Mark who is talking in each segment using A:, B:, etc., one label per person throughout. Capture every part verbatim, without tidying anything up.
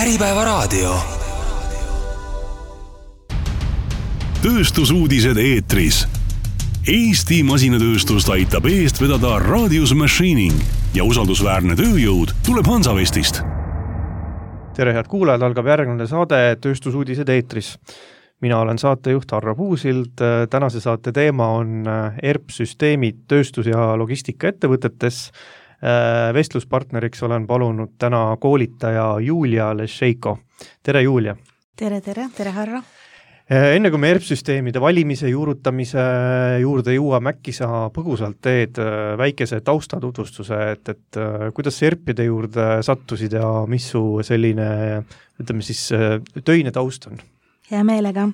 A: Äripäevaraadio. Tööstusuudised eetris. Eesti masinatööstust aitab eest vedada Radius Machining ja usaldusväärne tööjõud tuleb Hansavestist.
B: Tere head kuulajad, algab järgmine saade Tööstusuudised eetris. Mina olen saatejuht Harro Puusild. Tänase saate teema on E R P-süsteemid tööstus- ja logistika ettevõtetes. Vestluspartneriks olen palunud täna koolitaja Julia Lešeiko. Tere Julia!
C: Tere, tere, tere Harro!
B: Enne kui me E R P-süsteemide valimise, juurutamise juurde jõuame, äkki sa põgusalt teed väikese taustatutvustuse, et, et kuidas E R P-de juurde sattusid ja mis su selline, ütleme siis, töine taust on?
C: Hea meelega.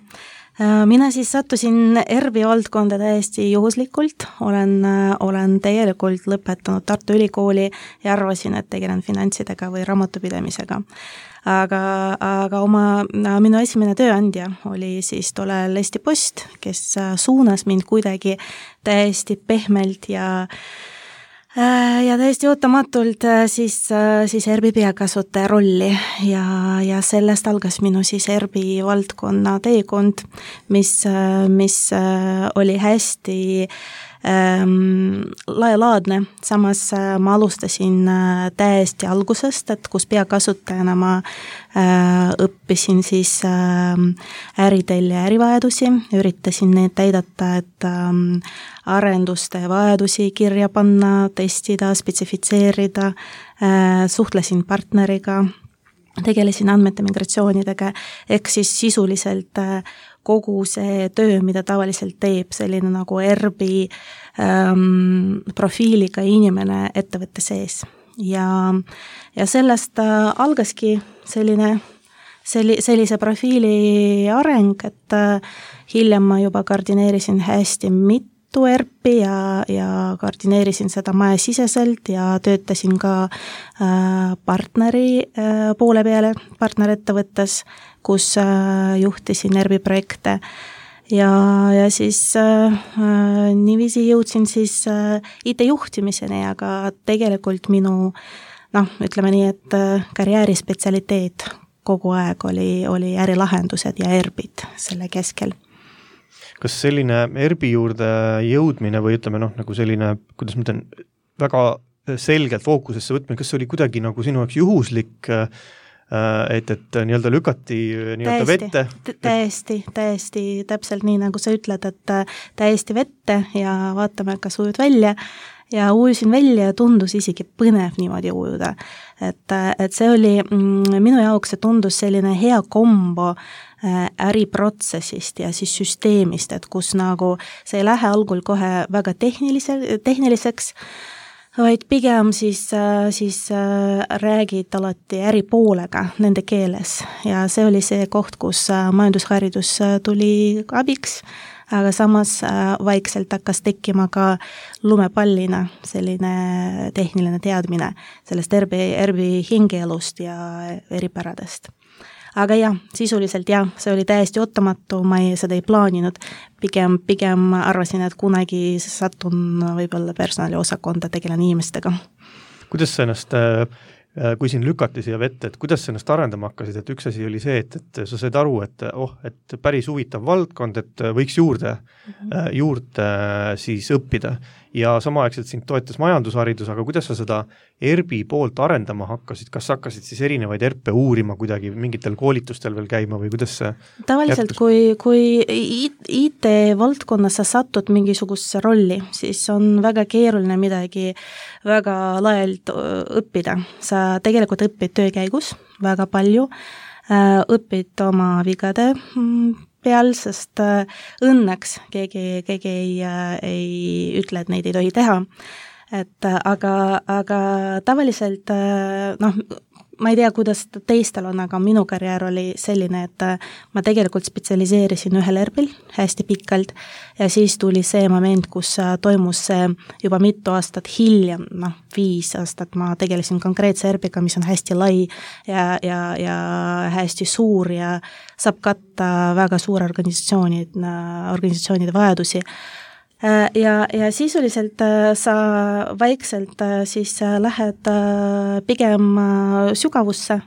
C: Mina siis sattusin E R P valdkonda täiesti juhuslikult. Olen, olen tegelikult lõpetanud Tartu Ülikooli ja arvasin, et tegelen finantsidega või raamatupidamisega. Aga, aga oma, minu esimene tööandja oli siis tollel Eesti Post, kes suunas mind kuidagi täiesti pehmelt ja ja täiesti ootamatult siis, siis E R P peakasutaja rolli ja, ja sellest algas minu siis E R P valdkonna teekond, mis, mis oli hästi ähm, laelaadne. Samas ma alustasin täiesti algusest, et kus peakasutajana ma äh, õppisin siis äh, äritelja ärivajadusi, üritasin need täidata, et ähm, arenduste vajadusi kirja panna, testida, spetsifitseerida, äh, suhtlesin partneriga, tegelesin andmete migratsioonidega, ehk siis sisuliselt äh, kogu see töö, mida tavaliselt teeb selline nagu E R P ähm, profiiliga inimene ettevõtte sees. Ja, ja sellest äh, algaski selline, selli, sellise profiili areng, et äh, hiljem ma juba koordineerisin hästi mitu E R P ja, ja koordineerisin seda majasiseselt ja töötasin ka äh, partneri äh, poole peale partnerettevõttes, kus äh, juhtisin E R P projekte ja, ja siis äh, niiviisi jõudsin siis äh, I T juhtimiseni, aga tegelikult minu, noh, ütleme nii, et äh, karjääri spetsialiteet kogu aeg oli, oli ärilahendused ja E R P-d selle keskel.
B: Kas selline E R P juurde jõudmine või ütleme noh, nagu selline, kuidas ma ütlen, väga selgelt fookusesse võtmine, kas see oli kuidagi nagu sinu jaoks juhuslik, et, et nii-öelda lükati nii-öelda vette?
C: Täiesti, täiesti, täpselt nii nagu sa ütled, et täiesti vette ja vaatame, kas ujud välja ja ujusin välja ja tundus isegi põnev niimoodi ujuda. Et, et see oli, minu jaoks see tundus selline hea kombo äriprotsessist ja siis süsteemist, et kus nagu see ei lähe algul kohe väga tehnilise, tehniliseks, vaid pigem siis, siis räägid alati äripoolega nende keeles ja see oli see koht, kus majandusharidus tuli abiks, aga samas vaikselt hakkas tekkima ka lumepallina selline tehniline teadmine sellest E R P, E R P hingeelust ja eripäradest. Aga jah, sisuliselt jah, see oli täiesti ootamatu, ma ei, seda ei plaaninud, pigem, pigem arvasin, et kunagi satun võib-olla personaliosakonda tegelen inimestega.
B: Kuidas sa ennast, kui siin lükati siia vette, et kuidas sa ennast arendama hakkasid, et üks asi oli see, et, et sa said aru, et oh, et päris huvitav valdkond, et võiks juurde, mm-hmm. juurde siis õppida ja samaaegselt sind toetas majandusharidus, aga kuidas sa seda E R P poolt arendama hakkasid, kas hakkasid siis erinevaid E R P uurima kuidagi mingitel koolitustel veel käima või kuidas see
C: tavaliselt, jätkus? kui, kui I T valdkonnas sa satud mingisugusesse rolli, siis on väga keeruline midagi väga laialt õppida. Sa tegelikult õpid töö käigus väga palju, õpid oma vigade peal, sest õnneks keegi, keegi ei, ei ütle, et neid ei tohi teha. Et aga, aga tavaliselt, noh, ma ei tea, kuidas teistel on, aga minu karjäär oli selline, et ma tegelikult spetsialiseerisin ühel E R P-l hästi pikalt ja siis tuli see moment, kus toimus see juba mitu aastat hiljem, noh, viis aastat ma tegelesin konkreetse E R P-ga, mis on hästi lai ja, ja, ja hästi suur ja saab katta väga suure organisatsioonid, organisatsioonide vajadusi. Ja, ja sisuliselt sa vaikselt siis lähed pigem sügavusse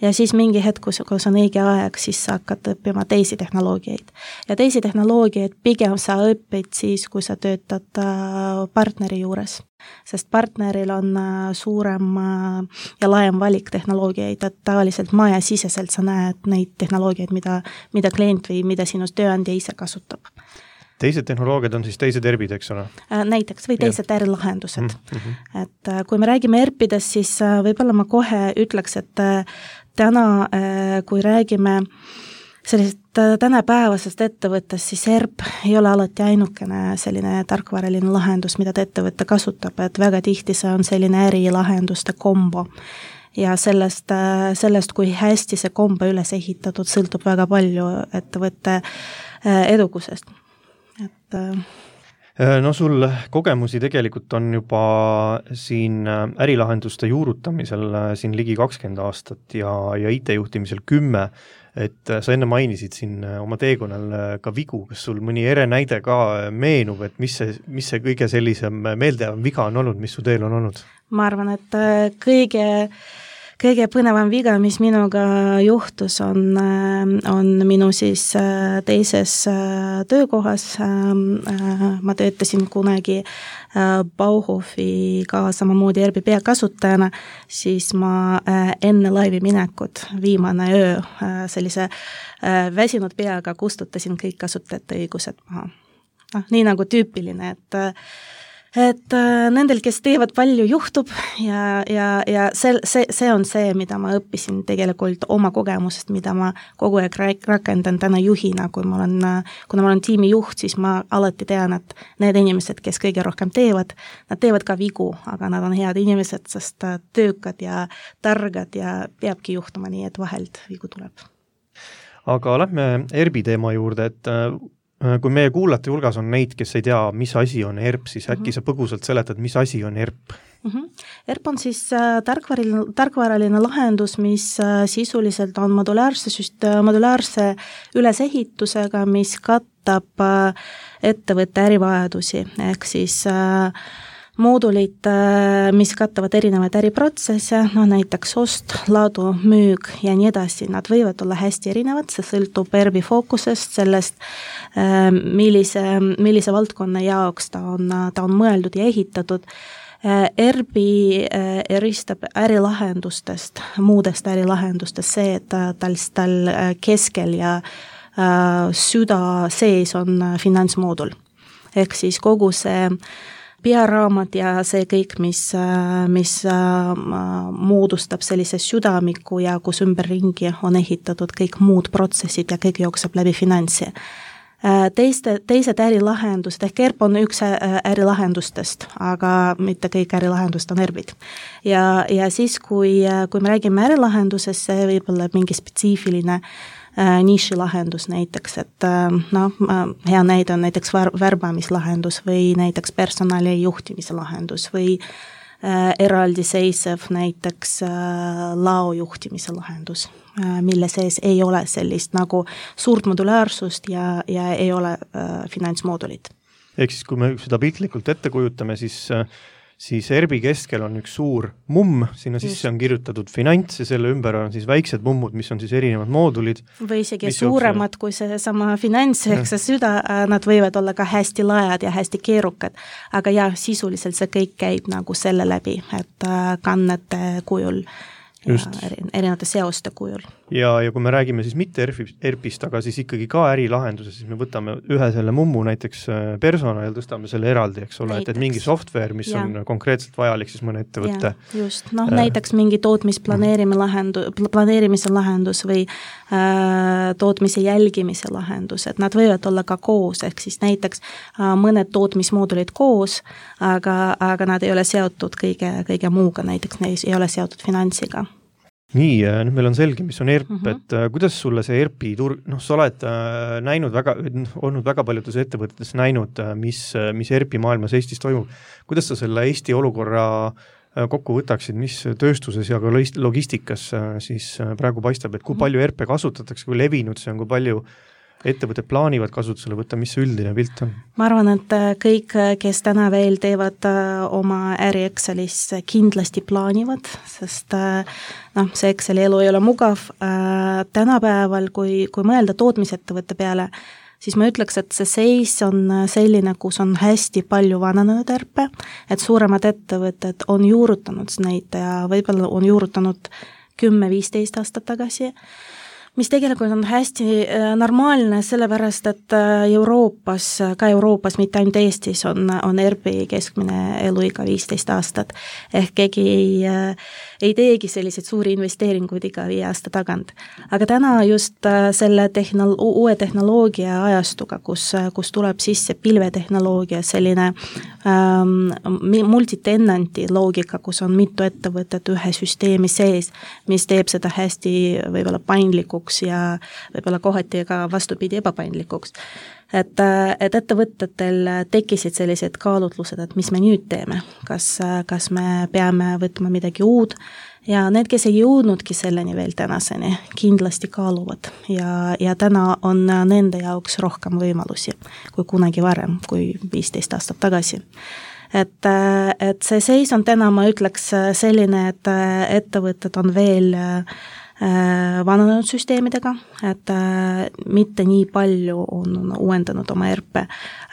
C: ja siis mingi hetk, kus, kus on õige aeg, siis sa hakkad õppima teisi tehnoloogiaid. Ja teisi tehnoloogiaid pigem sa õpid siis, kui sa töötad partneri juures, sest partneril on suurem ja laiem valik tehnoloogiaid, et tavaliselt majasiseselt sa näed neid tehnoloogiaid, mida, mida klient või mida sinu tööandja ise kasutab.
B: Teised tehnoloogiad on siis teised ERP-id, eks ole?
C: Näiteks, või teised ärilahendused.
B: Mm-hmm.
C: Et kui me räägime ERP-idest, siis võib-olla ma kohe ütleks, et täna, kui räägime sellisest tänapäevasest ettevõttest, siis ERP ei ole alati ainukene selline tarkvaraline lahendus, mida ta ettevõtte kasutab, et väga tihti see on selline ärilahenduste kombo. Ja sellest, sellest, kui hästi see kombo üles ehitatud, sõltub väga palju ettevõtte edukusest. Et
B: no sul kogemusi tegelikult on juba siin ärilahenduste juurutamisel siin ligi kakskümmend aastat ja, ja I T-juhtimisel kümme, et sa enne mainisid siin oma teekonnal ka vigu, kas sul mõni ere näide ka meenub, et mis see, mis see kõige sellisem meeldejav viga on olnud, mis su teel on olnud? Ma
C: arvan, et kõige Kõige põnevam viga, mis minuga juhtus, on, on minu siis teises töökohas. Ma töötasin kunagi Bauhofi-ga samamoodi ERP peakasutajana, siis ma enne laivi minekut viimane öö sellise väsinud peaga kustutasin kõik kasutajate õigused maha. No, nii nagu tüüpiline, et et nendel, kes teevad palju, juhtub ja, ja, ja see, see, see on see, mida ma õppisin tegelikult oma kogemusest, mida ma kogu aeg rakendan täna juhina, kui ma olen, kuna ma olen tiimi juht, siis ma alati tean, et need inimesed, kes kõige rohkem teevad, nad teevad ka vigu, aga nad on head inimesed, sest töökad ja targad ja peabki juhtuma nii, et vahelt vigu tuleb.
B: Aga lähme ERP-i teema juurde, et kui meie kuulate hulgas on neid, kes ei tea, mis asi on ERP, siis äkki sa põgusalt seletad, mis asi on ERP?
C: Mm-hmm. ERP on siis tarkvaraline, tarkvaraline lahendus, mis sisuliselt on modulaarse, süst, modulaarse ülesehitusega, mis kattab ettevõtte ärivajadusi, ehk siis moodulid, mis kattavad erinevaid äriprotsesse, no näiteks ost, laadu, müük ja nii edasi, nad võivad olla hästi erinevad, see sõltub ERP-i fookusest, sellest, millise, millise valdkonna jaoks ta on, ta on mõeldud ja ehitatud. ERP-i eristab ärilahendustest, muudest ärilahendustest see, et tal, tal keskel ja süda sees on finantsmoodul. Ehk siis kogu see pearaamat ja see kõik, mis, mis moodustab sellise südamiku ja kus ümberringi on ehitatud kõik muud protsessid ja kõik jookseb läbi finantsi. Teiste, teised ärilahendused, ehk ERP on üks ärilahendustest, aga mitte kõik ärilahendust on ERP-id. Ja, ja siis, kui, kui me räägime ärilahendusest, see võib olla mingi spetsiifiline nišilahendus näiteks, et no, hea näide on näiteks värbamislahendus või näiteks personali juhtimise lahendus või äh, eraldiseisev näiteks äh, lao juhtimise lahendus, äh, mille sees ei ole sellist nagu suurt modulaarsust ja, ja ei ole äh, finantsmoodulit.
B: Ehk siis, kui me seda piltlikult ette kujutame, siis äh, siis ERP-i keskel on üks suur mumm, sinna sisse on kirjutatud finants ja selle ümber on siis väiksed mummud, mis on siis erinevad moodulid.
C: Või isegi suuremad kui see sama finants, ehk see süda, nad võivad olla ka hästi laiad ja hästi keerukad, aga jah, sisuliselt see kõik käib nagu selle läbi, et kannete kujul Just. ja erinevate seoste kujul.
B: Ja, ja kui me räägime siis mitte ERP-ist, aga siis ikkagi ka ärilahenduse, siis me võtame ühe selle mummu näiteks persona ja tõstame selle eraldi, eks ole, et, et mingi software, mis ja. on konkreetselt vajalik siis mõne ettevõtte.
C: Ja, just, noh äh, näiteks mingi tootmisplaneerimise lahendus, planeerimise lahendus või äh, tootmise jälgimise lahendus, et nad võivad olla ka koos, ehk siis näiteks äh, mõned tootmismoodulid koos, aga, aga nad ei ole seotud kõige, kõige muuga, näiteks neid ei ole seotud finantsiga.
B: Nii, nüüd meil on selge, mis on ERP, uh-huh. et äh, kuidas sulle see ERP-i turg, noh, sa oled äh, näinud väga, olnud väga paljudes ettevõtetes näinud, mis, mis ERP-i maailmas Eestis toimub. Kuidas sa selle Eesti olukorra äh, kokku võtaksid, mis tööstuses ja ka logistikas äh, siis äh, praegu paistab, et kui palju ERP-e kasutatakse, kui levinud see on, kui palju ettevõtted plaanivad kasutusele võtta, mis see üldine pilt on?
C: Ma arvan, et kõik, kes täna veel teevad oma äri Excelis, kindlasti plaanivad, sest noh, see Exceli elu ei ole mugav. Tänapäeval, kui, kui mõelda tootmisettevõtte peale, siis ma ütleks, et see seis on selline, kus on hästi palju vananenud ärpe, et suuremad ettevõtted on juurutanud neid ja võib-olla on juurutanud kümme viisteist aastat tagasi, mis tegelikult on hästi normaalne, sellepärast, et Euroopas, ka Euroopas, mitte ainult Eestis, on, on E R P-i keskmine eluiga viisteist aastat. Ehk keegi ei, ei teegi selliseid suuri investeeringuid iga viie aasta tagant. Aga täna just selle tehnol- uue tehnoloogia ajastuga, kus, kus tuleb sisse pilvetehnoloogia, selline ähm, multitenanti loogika, kus on mitu ettevõtet ühe süsteemi sees, mis teeb seda hästi võib-olla paindlikuks ja võib-olla kohati ka vastupidi ebapaindlikuks. Et, et ettevõtetel tekkisid sellised kaalutlused, et mis me nüüd teeme, kas, kas me peame võtma midagi uud ja need, kes ei jõudnudki selleni veel tänaseni, kindlasti kaaluvad ja, ja täna on nende jaoks rohkem võimalusi kui kunagi varem, kui viisteist aastat tagasi. Et, et see seis on täna, ma ütleks selline, et ettevõtted on veel vananenud süsteemidega, et mitte nii palju on uuendanud oma E R P,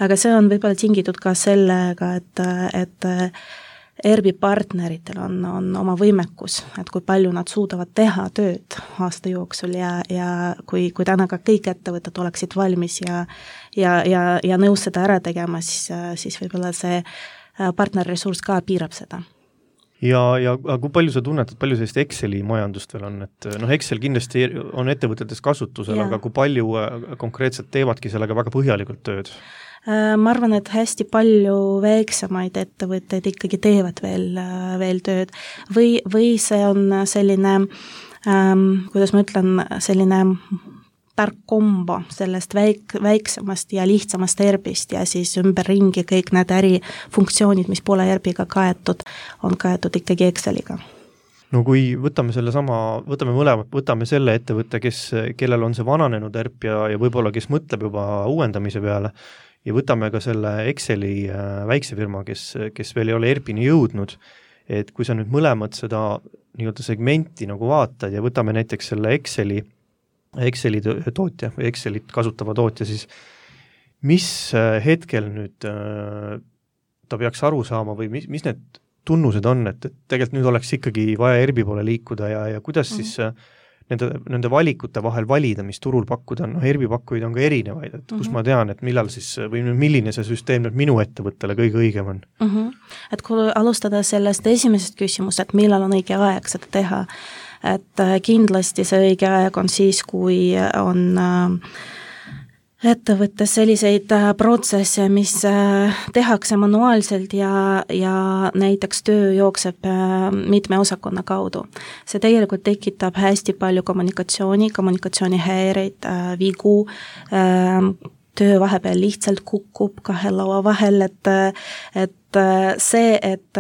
C: aga see on võib-olla tingitud ka sellega, et, et E R P partneritel on, on oma võimekus, et kui palju nad suudavad teha tööd aasta jooksul ja, ja kui, kui täna ka kõik ettevõtted oleksid valmis ja, ja, ja, ja nõus seda ära tegema, siis, siis võib-olla see partnerressurss ka piirab seda.
B: Ja, ja kui palju sa tunned, et palju sellist Exceli majandust veel on, et noh, Excel kindlasti on ettevõtetes kasutusel, aga kui palju konkreetselt teevadki sellega väga põhjalikult tööd?
C: Ma arvan, et hästi palju väiksemaid ettevõtteid ikkagi teevad veel, veel tööd või, või see on selline, ähm, kuidas ma ütlen, selline tark kombo sellest väik, väiksemast ja lihtsamast E R P-st ja siis ümberringi kõik need ärifunktsioonid, mis pole E R P-ga kaetud, on kaetud ikkagi Exceliga.
B: No kui võtame selle sama, võtame mõlemad, võtame selle ettevõtte, kes, kellel on see vananenud E R P ja, ja võib-olla kes mõtleb juba uuendamise peale ja võtame ka selle Exceli väikse firma, kes, kes veel ei ole E R P-ni jõudnud, et kui sa nüüd mõlemad seda nii-öelda segmenti nagu vaatad ja võtame näiteks selle Exceli Exceli tootja või Excelit kasutava tootja, siis mis hetkel nüüd ta peaks aru saama või mis, mis need tunnused on, et, et tegelikult nüüd oleks ikkagi vaja E R P poole liikuda ja, ja kuidas mm. siis nende, nende valikute vahel valida, mis turul pakkuda on, noh E R P pakkujaid on ka erinevaid, et kus mm -hmm. ma tean, et millal siis või milline see süsteem nüüd minu ettevõttele kõige õigem on?
C: Mm -hmm. Et kui alustada sellest esimesest küsimust, et millal on õige aeg seda teha, et kindlasti see õige aeg on siis, kui on ettevõttes selliseid protsesse, mis tehakse manuaalselt ja, ja näiteks töö jookseb mitme osakonna kaudu. See tegelikult tekitab hästi palju kommunikatsiooni, kommunikatsioonihäireid, vigu, töö vahepeal lihtsalt kukub kahe laua vahel, et, et see, et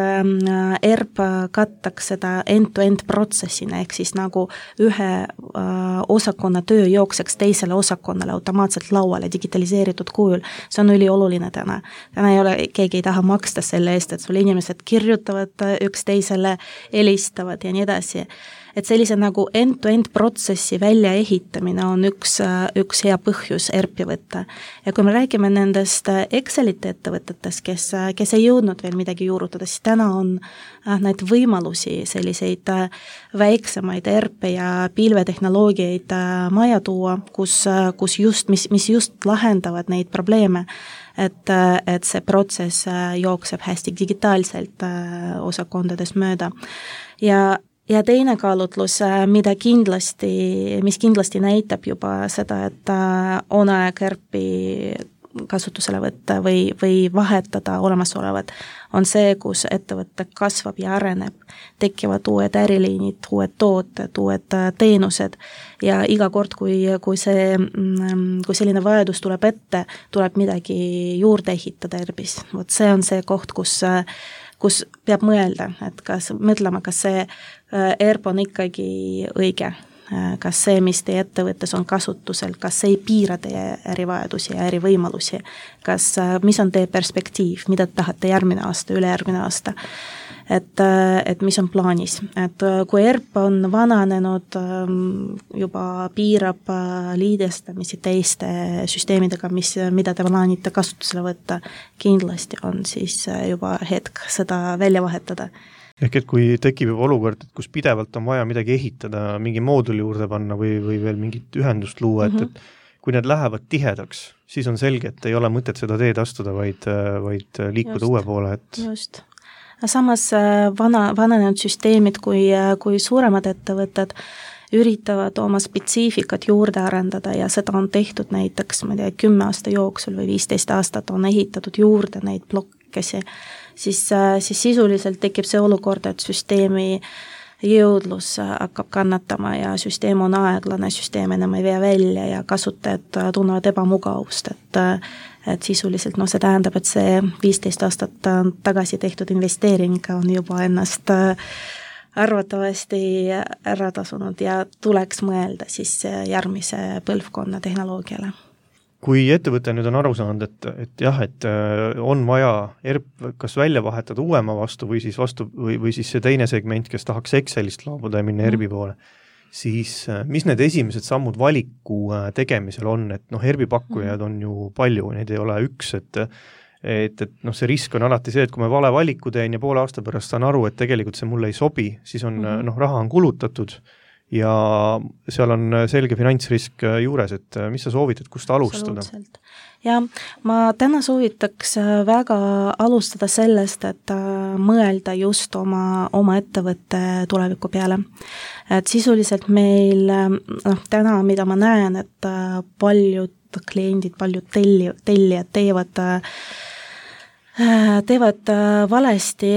C: E R P kattaks seda end-to-end protsessina, ehk siis nagu ühe osakonna töö jookseks teisele osakonnale automaatselt lauale digitaliseeritud kujul, see on ülioluline täna. Täna ei ole, keegi ei taha maksta selle eest, et sul inimesed kirjutavad üksteisele, helistavad ja nii edasi. Et sellise nagu end-to-end protsessi väljaehitamine on üks, üks hea põhjus E R P-i võtta. Ja kui me räägime nendest Excelite ettevõtetest, kes, kes ei jõudnud veel midagi juurutada, siis täna on neid võimalusi selliseid väiksemaid E R P ja pilvetehnoloogiaid maja tuua, kus, kus just, mis, mis just lahendavad neid probleeme, et, et see protsess jookseb hästi digitaalselt osakondades mööda. Ja Ja teine kaalutlus, mida kindlasti, mis kindlasti näitab juba seda, et on aeg E R P-i kasutusele võtta või, või vahetada olemasolevad, on see, kus ettevõte kasvab ja areneb, tekivad uued äriliinid, uued tooted, uued teenused ja iga kord, kui, kui, see, kui selline vajadus tuleb ette, tuleb midagi juurde ehitada E R P-s. Vot see on see koht, kus kus peab mõelda, et kas mõtlema, kas see E R P on ikkagi õige kas see, mis teie ettevõttes on kasutusel, kas see ei piira teie ärivajadusi ja ärivõimalusi, kas, mis on teie perspektiiv, mida tahate järgmine aasta, ülejärgmine aasta, et, et mis on plaanis. Et kui E R P on vananenud, juba piirab liidestamisi teiste süsteemidega, mis, mida te plaanite kasutusele võtta, kindlasti on siis juba hetk seda välja vahetada.
B: Ehk et kui tekib juba olukord, et kus pidevalt on vaja midagi ehitada, mingi mooduli juurde panna või, või veel mingit ühendust luua, et, et kui need lähevad tihedaks, siis on selge, et ei ole mõtet seda teed astuda, vaid, vaid liikuda just, uue poole. Et...
C: Just. Samas vana, vananenud süsteemid, kui, kui suuremad ettevõtted üritavad oma spetsiifikat juurde arendada ja seda on tehtud näiteks, ma tea, kümme aasta jooksul või viisteist aastat on ehitatud juurde neid blokkesi, siis, siis sisuliselt tekib see olukord, et süsteemi jõudlus hakkab kannatama ja süsteem on aeglane, süsteem enam ei vee välja ja kasutajad tunnevad ebamugavust, et, et sisuliselt no, see tähendab, et see viisteist aastat tagasi tehtud investeering on juba ennast arvatavasti ära tasunud ja tuleks mõelda siis järgmise põlvkonna tehnoloogiale.
B: Kui ettevõte nüüd on aru saanud, et, et jah, et on vaja E R P kas välja vahetada uuema vastu või siis vastu või, või siis see teine segment, kes tahaks Excelist laabuda ja minna E R P-i poole, siis mis need esimesed sammud valiku tegemisel on, et noh, E R P-i pakkujaid on ju palju, neid ei ole üks, et et, et noh, see risk on alati see, et kui ma vale valiku teen ja poole aasta pärast saan aru, et tegelikult see mulle ei sobi, siis on mm-hmm. noh, raha on kulutatud ja seal on selge finantsrisk juures, et mis sa soovitad, kust alustada?
C: Ja ma täna soovitaks väga alustada sellest, et mõelda just oma, oma ettevõtte tuleviku peale. Et sisuliselt meil, noh, täna, mida ma näen, et paljud kliendid, paljud telli, tellijad teevad teevad valesti,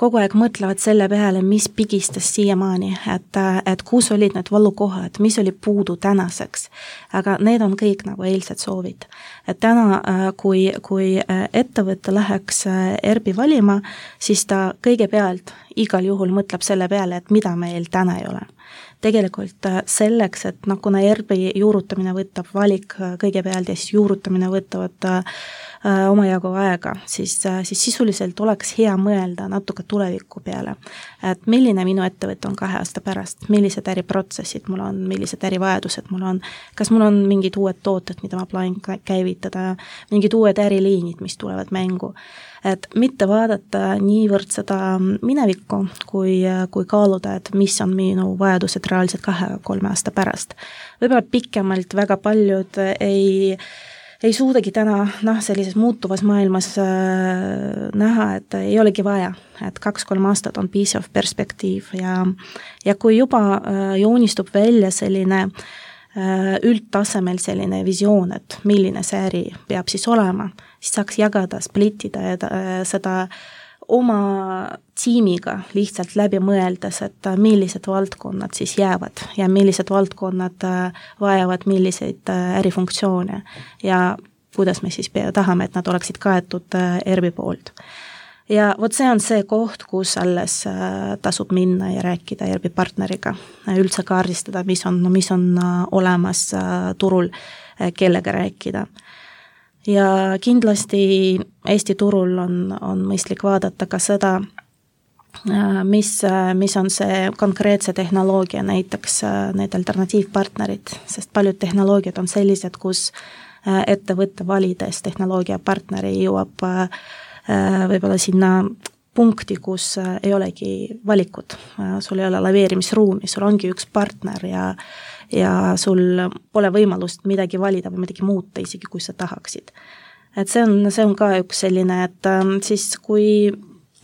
C: kogu aeg mõtlevad selle peale, mis pigistas siiamaani, et, et kus olid need valukohad, mis oli puudu tänaseks. Aga need on kõik nagu eilsed soovid. Et täna, kui, kui ettevõte läheks E R P-i valima, siis ta kõigepealt igal juhul mõtleb selle peale, et mida meil täna ei ole. Tegelikult selleks, et no, kuna E R P-i juurutamine võtab valik kõigepealt ja siis juurutamine võtavad äh, omajagu aega, siis, äh, siis sisuliselt oleks hea mõelda natuke tuleviku peale. Et milline minu ettevõte on kahe aasta pärast, millised äriprotsessid mul on, millised ärivajadused mul on, kas mul on mingid uued tooted, mida ma plaanin käivitada, mingid uued äriliinid, mis tulevad mängu. Et mitte vaadata niivõrd seda minevikku, kui, kui kaaluda, et mis on minu vajadused reaalselt kahe-kolme aasta pärast. Võib-olla pikemalt väga paljud ei, ei suudagi täna noh, sellises muutuvas maailmas äh, näha, et ei olegi vaja, et kaks-kolm aastat on piisav perspektiiv ja, ja kui juba äh, joonistub välja selline üldtasemel selline visioon, et milline see äri peab siis olema, siis saaks jagada, splittida seda oma tiimiga lihtsalt läbi mõeldes, et millised valdkonnad siis jäävad ja millised valdkonnad vajavad milliseid ärifunktsioone ja kuidas me siis tahame, et nad oleksid kaetud E R P-i poolt. Ja vot see on see koht, kus alles tasub minna ja rääkida E R P-i partneriga, üldse kaardistada, mis on, mis on olemas turul, kellega rääkida. Ja kindlasti Eesti turul on, on mõistlik vaadata ka seda, mis, mis on see konkreetse tehnoloogia, näiteks need alternatiivpartnerid, sest paljud tehnoloogiad on sellised, kus ettevõtte valides tehnoloogiapartneri jõuab võib-olla sinna punkti, kus ei olegi valikut, sul ei ole laveerimisruumi, sul ongi üks partner ja, ja sul pole võimalust midagi valida või midagi muuta, isegi kui sa tahaksid. Et see on, see on ka üks selline, et siis kui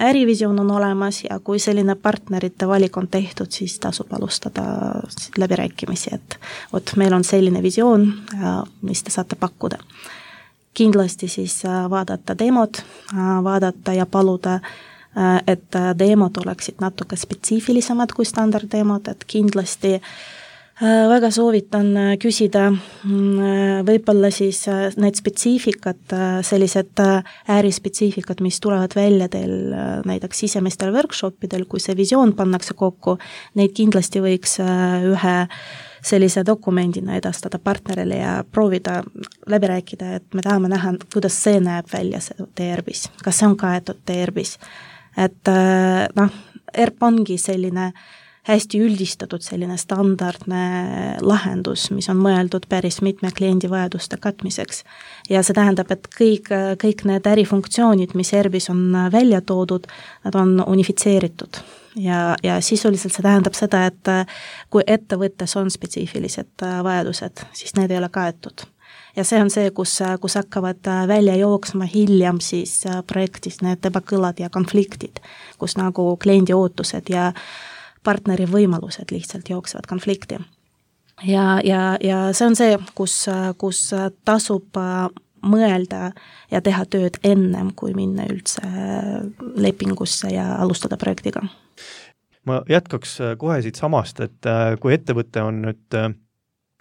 C: ärivisioon on olemas ja kui selline partnerite valik on tehtud, siis tasub alustada läbirääkimisi, et vot meil on selline visioon, mis te saate pakkuda. Kindlasti siis vaadata demod, vaadata ja paluda, et demod oleksid natuke spetsiifilisemad kui standarddemod, et kindlasti Väga soovitan küsida võib-olla siis need spetsiifikat, sellised äärispetsiifikat, mis tulevad välja teil näiteks sisemestel workshopidel, kui see visioon pannakse kokku, neid kindlasti võiks ühe sellise dokumendina edastada partnerile ja proovida läbi rääkida, et me tahame näha, kuidas see näeb välja see T R B-s, kas see on kaetud T R B-s. Et noh, E R P ongi selline hästi üldistatud selline standardne lahendus, mis on mõeldud päris mitme kliendi vajaduste katmiseks. Ja see tähendab, et kõik, kõik need ärifunktsioonid, mis E R B-s on välja toodud, nad on unifitseeritud. Ja, ja sisuliselt see tähendab seda, et kui ettevõttes on spetsiifilised vajadused, siis need ei ole kaetud. Ja see on see, kus, kus hakkavad välja jooksma hiljem siis projektis need ebakõlad ja konfliktid, kus nagu kliendi ootused ja partneri võimalused lihtsalt jooksevad konflikti. Ja, ja, ja see on see, kus, kus tasub mõelda ja teha tööd ennem, kui minna üldse lepingusse ja alustada projektiga.
B: Ma jätkaks kohe siit samast, et kui ettevõte on nüüd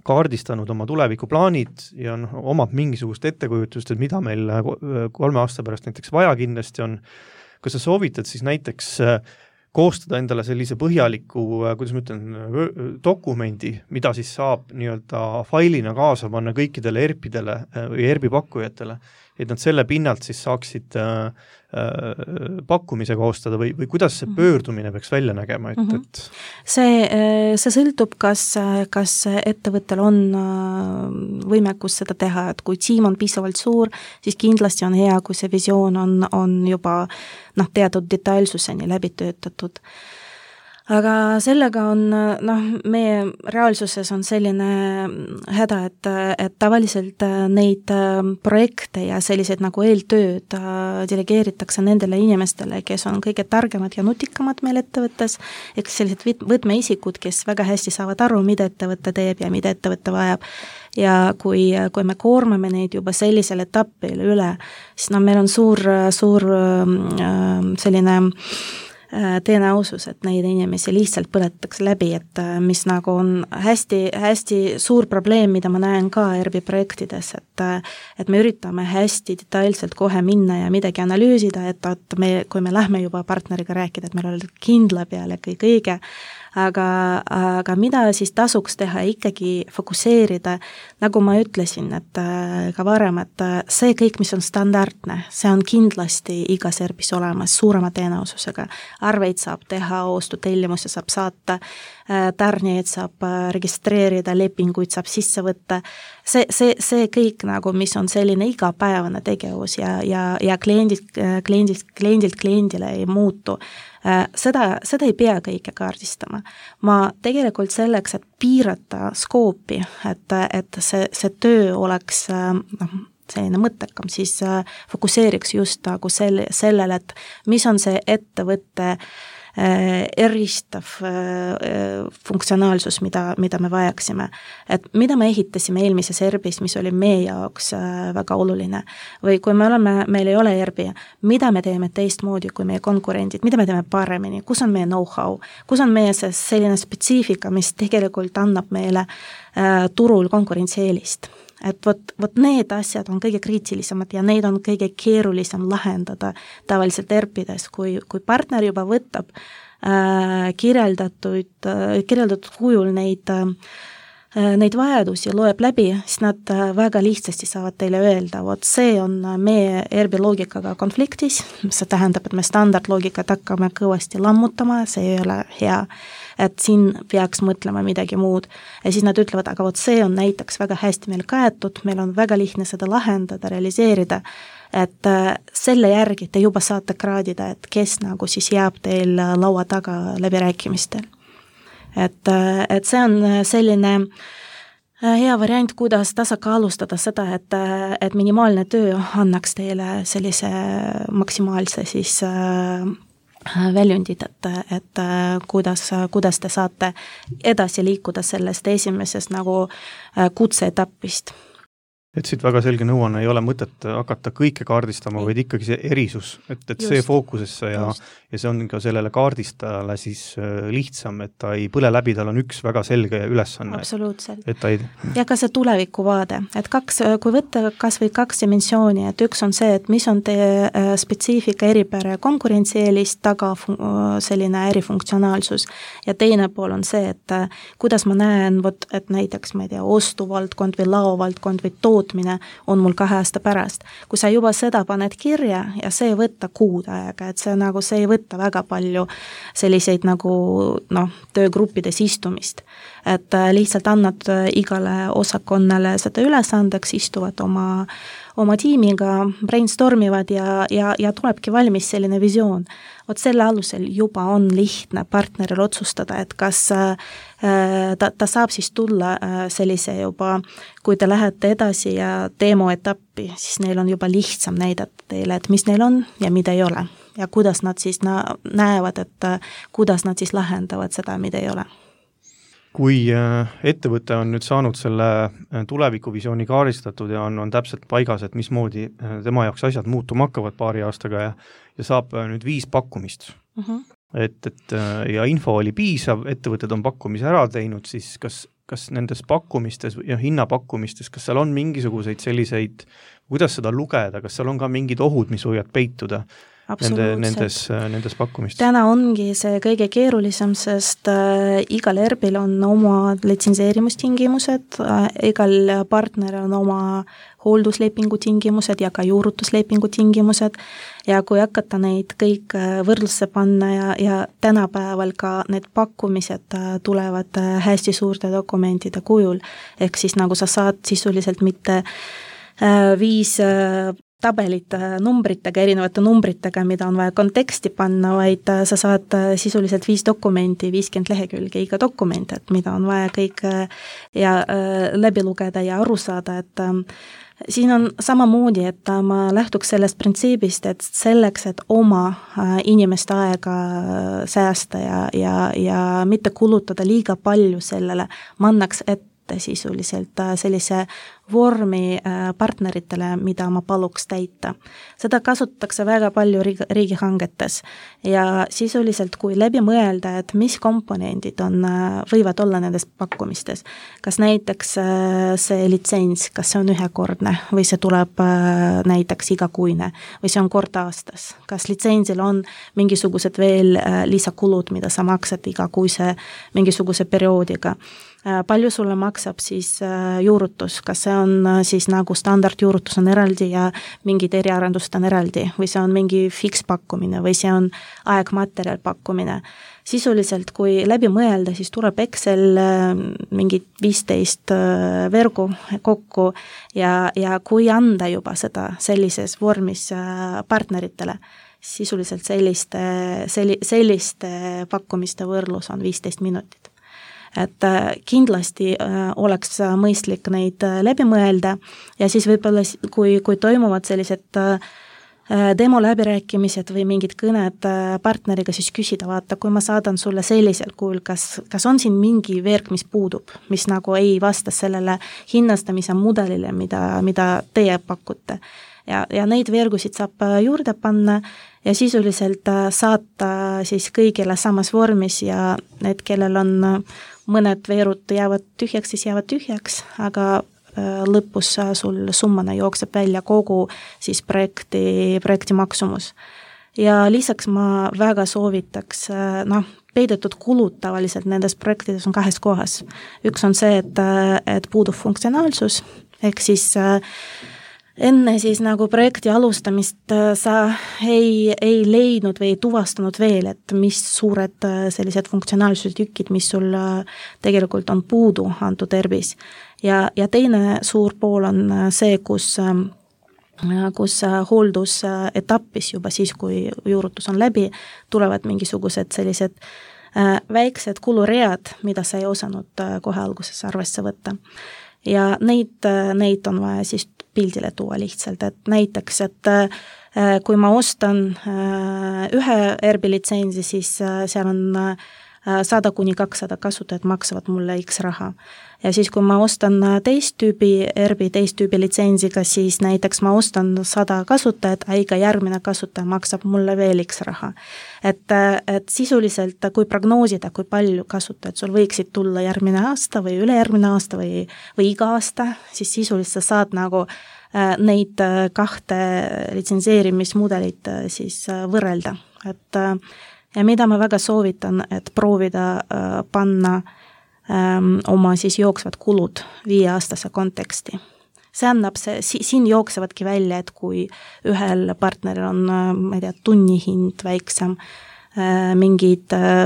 B: kaardistanud oma tulevikuplaanid ja on, omab mingisugust ettekujutust, et mida meil kolme aasta pärast näiteks vaja kindlasti on, kas sa soovitad siis näiteks koostada endale sellise põhjaliku, kuidas ma ütlen, dokumendi, mida siis saab nii-öelda failina kaasa panna kõikidele E R P-dele või E R P pakkujatele, et nad selle pinnalt siis saaksid äh, pakkumise koostada või, või kuidas see pöördumine peaks välja nägema, et,
C: mm-hmm.
B: et
C: see, see sõltub, kas, kas ettevõttel on võimekus seda teha, et kui tiim on piisavalt suur, siis kindlasti on hea, kui see visioon on, on juba noh, teatud detailsuseni läbi töötatud. Aga sellega on, noh, meie reaalsuses on selline häda, et, et tavaliselt neid projekte ja sellised nagu eeltööd delegeeritakse nendele inimestele, kes on kõige targemad ja nutikamad meil ettevõttes, ehk sellised võtmeisikud, kes väga hästi saavad aru, mida ettevõte teeb ja mida ettevõte vajab. Ja kui, kui me koormame neid juba sellisel etapil üle, siis no meil on suur, suur selline tõenäosus, et neid inimesi lihtsalt põletatakse läbi, et mis nagu on hästi, hästi suur probleem, mida ma näen ka E R B projektides, et, et me üritame hästi detailselt kohe minna ja midagi analüüsida, et, et me, kui me lähme juba partneriga rääkida, et meil on kindla peale kõik õige, aga, aga mida siis tasuks teha, ikkagi fokuseerida, nagu ma ütlesin, et ka varem, et see kõik, mis on standardne, see on kindlasti igas E R B-s olemas suurema tõenäosusega. Arveid saab teha, ostutellimusi saab saata, tarnijaid saab registreerida, lepinguid saab sisse võtta. See, see, see kõik, nagu, mis on selline igapäevane tegevus ja, ja, ja kliendilt, kliendilt, kliendilt kliendile ei muutu. Seda, seda ei pea kõike kaardistama. Ma tegelikult selleks, et piirata skoopi, et, et see, see töö oleks noh, selline mõttekam, siis fokuseeriks just nagu selle, sellele, et mis on see ettevõtte eristav funktsionaalsus, mida, mida me vajaksime. Et mida me ehitasime eelmises E R B-s, mis oli meie jaoks väga oluline. Või kui me oleme, meil ei ole E R B, mida me teeme teistmoodi kui meie konkurendid, mida me teeme paremini, kus on meie know-how, kus on meie see selline spetsiifika, mis tegelikult annab meile äh, turul konkurentsieelist. Et vot, vot need asjad on kõige kriitilisemad ja neid on kõige keerulisem lahendada tavaliselt E R P-des, kui, kui partner juba võtab äh, kirjeldatud, äh, kirjeldatud kujul neid, äh, neid vajadusi loeb läbi, siis nad äh, väga lihtsasti saavad teile öelda, vot see on meie E R B loogikaga konfliktis, see tähendab, et me standardloogikat hakkame kõvasti lammutama, see ei ole hea, et siin peaks mõtlema midagi muud. Ja siis nad ütlevad, aga vot see on näiteks väga hästi meil kaetud, meil on väga lihtne seda lahendada, realiseerida, et selle järgi te juba saate kraadida, et kes nagu siis jääb teil laua taga läbirääkimistel. Et, et see on selline hea variant, kuidas tasakaalustada seda, et, et minimaalne töö annaks teile sellise maksimaalse siis väljundid, et, et kuidas, kuidas te saate edasi liikuda sellest esimesest nagu kutseetapist.
B: et siit väga selge nõuanne ei ole mõtet hakata kõike kaardistama, vaid ikkagi see erisus, et, et just, see fookusesse ja, ja see on ka sellele kaardistajale siis lihtsam, et ta ei põle läbi, tal on üks väga selge ülesanne.
C: Absoluutselt.
B: Et ta ei...
C: Ja ka see tulevikuvaade, et kaks, kui võtta kas või kaks dimensiooni, et üks on see, et mis on teie spetsiifika eripära konkurentsieelist taga selline ärifunktsionaalsus ja teine pool on see, et kuidas ma näen, võt, et näiteks, ma ei tea, ostuvaldkond või laovaldkond või toot on mul kahe aasta pärast. Kui sa juba seda paned kirja ja see ei võtta kuud aega, et see, nagu, see ei võtta väga palju selliseid nagu noh, töögruppides istumist. Et lihtsalt annad igale osakonnale seda ülesandeks, istuvad oma, oma tiimiga, brainstormivad ja, ja, ja tulebki valmis selline visioon. Vot selle alusel juba on lihtne partneril otsustada, et kas äh, ta, ta saab siis tulla äh, sellise juba, kui te lähete edasi ja demo etappi, siis neil on juba lihtsam näidata teile, et mis neil on ja mida ei ole. Ja kuidas nad siis näevad, et äh, kuidas nad siis lahendavad seda, mida ei ole.
B: Kui ettevõte on nüüd saanud selle tulevikuvisiooni kaaristatud ja on, on täpselt paigas, et mismoodi tema jaoks asjad muutuma hakkavad paari aastaga ja, ja saab nüüd viis pakkumist. Uh-huh. Et, et ja info oli piisav, ettevõtted on pakkumise ära teinud, siis kas, kas nendes pakkumistes ja hinnapakkumistes, kas seal on mingisuguseid selliseid, kuidas seda lugeda, kas seal on ka mingid ohud, mis võivad peituda? Nende, nendes, nendes pakkumistes.
C: Täna ongi see kõige keerulisem, sest äh, igal ERBil on oma litsenseerimustingimused, äh, igal partneril on oma hoolduslepingu tingimused ja ka juurutuslepingu tingimused ja kui hakata neid kõik võrdlusse panna ja, ja tänapäeval ka need pakkumised tulevad hästi suurte dokumentide kujul, ehk siis nagu sa saad sisuliselt mitte äh, viis äh, tabelit numbritega, erinevate numbritega, mida on vaja konteksti panna, vaid sa saad sisuliselt viis dokumenti, viiskümmend lehekülge iga dokument, et mida on vaja kõik ja läbi lugeda ja aru saada, et siin on samamoodi, et ma lähtuks sellest printsiibist, et selleks, et oma inimeste aega säästa ja, ja, ja mitte kulutada liiga palju sellele, ma annaks ette sisuliselt sellise vormi partneritele, mida ma paluks täita. Seda kasutatakse väga palju riigihangetes ja sisuliselt kui läbi mõelda, et mis komponendid on, võivad olla nendes pakkumistes. Kas näiteks see litsents, kas see on ühekordne või see tuleb näiteks igakuine või see on kord aastas. Kas litsentsil on mingisugused veel lisakulud, mida sa maksad igakuise mingisuguse perioodiga. Palju sulle maksab siis juurutus, kas see on siis nagu standardjuurutus on eraldi ja mingid eriarendust on eraldi või see on mingi fikspakkumine või see on aegmaterjal pakkumine. Sisuliselt, kui läbi mõelda, siis tuleb Excel mingi viisteist vergu kokku ja, ja kui anda juba seda sellises vormis partneritele, sisuliselt selliste, selli, selliste pakkumiste võrdlus on viisteist minutit. Et kindlasti oleks mõistlik neid läbi mõelda ja siis võib-olla, kui, kui toimuvad sellised demo läbirääkimised või mingid kõned partneriga, siis küsida, vaata, kui ma saadan sulle sellisel kujul, kas, kas on siin mingi verk, mis puudub, mis nagu ei vasta sellele hinnastamise mudelile, mida, mida teie pakute. Ja, ja neid vergusid saab juurde panna ja sisuliselt saata siis kõigile samas vormis ja need, kellel on mõned veerud jäävad tühjaks, siis jäävad tühjaks, aga lõpus sul summana jookseb välja kogu siis projekti, projekti maksumus. Ja lisaks ma väga soovitaks, noh, peidetud kulud tavaliselt nendes projektides on kahes kohas. Üks on see, et, et puudub funktsionaalsus, ehk siis enne siis nagu projekti alustamist sa ei, ei leidnud või ei tuvastanud veel, et mis suured sellised funktsionaalsuse tükid, mis sul tegelikult on puudu antud ERBis. Ja, ja teine suur pool on see, kus, kus hooldusetappis juba siis, kui juurutus on läbi, tulevad mingisugused sellised väiksed kuluread, mida sa ei osanud kohe alguses arvesse võtta. Ja neid, neid on vaja siis pildile tuua lihtsalt, et näiteks, et kui ma ostan ühe ERBi litsentsi, siis seal on sada kuni kakssada kasutajat maksavad mulle X raha. Ja siis, kui ma ostan teist tüübi, E R B-i teist tüübi litsenziga, siis näiteks ma ostan sada kasutajat, a iga järgmine kasutaja maksab mulle veel X raha. Et, et sisuliselt, kui prognoosida, kui palju kasutajad sul võiksid tulla järgmine aasta või ülejärgmine aasta või, või iga aasta, siis sisuliselt saad nagu neid kahte litsenseerimismudelit siis võrrelda. Et ja mida ma väga soovitan, et proovida äh, panna ähm, oma siis jooksvad kulud viieaastase konteksti. See annab see, si, siin jooksevadki välja, et kui ühel partneril on, ma ei tea, tunnihind väiksem, äh, mingid äh,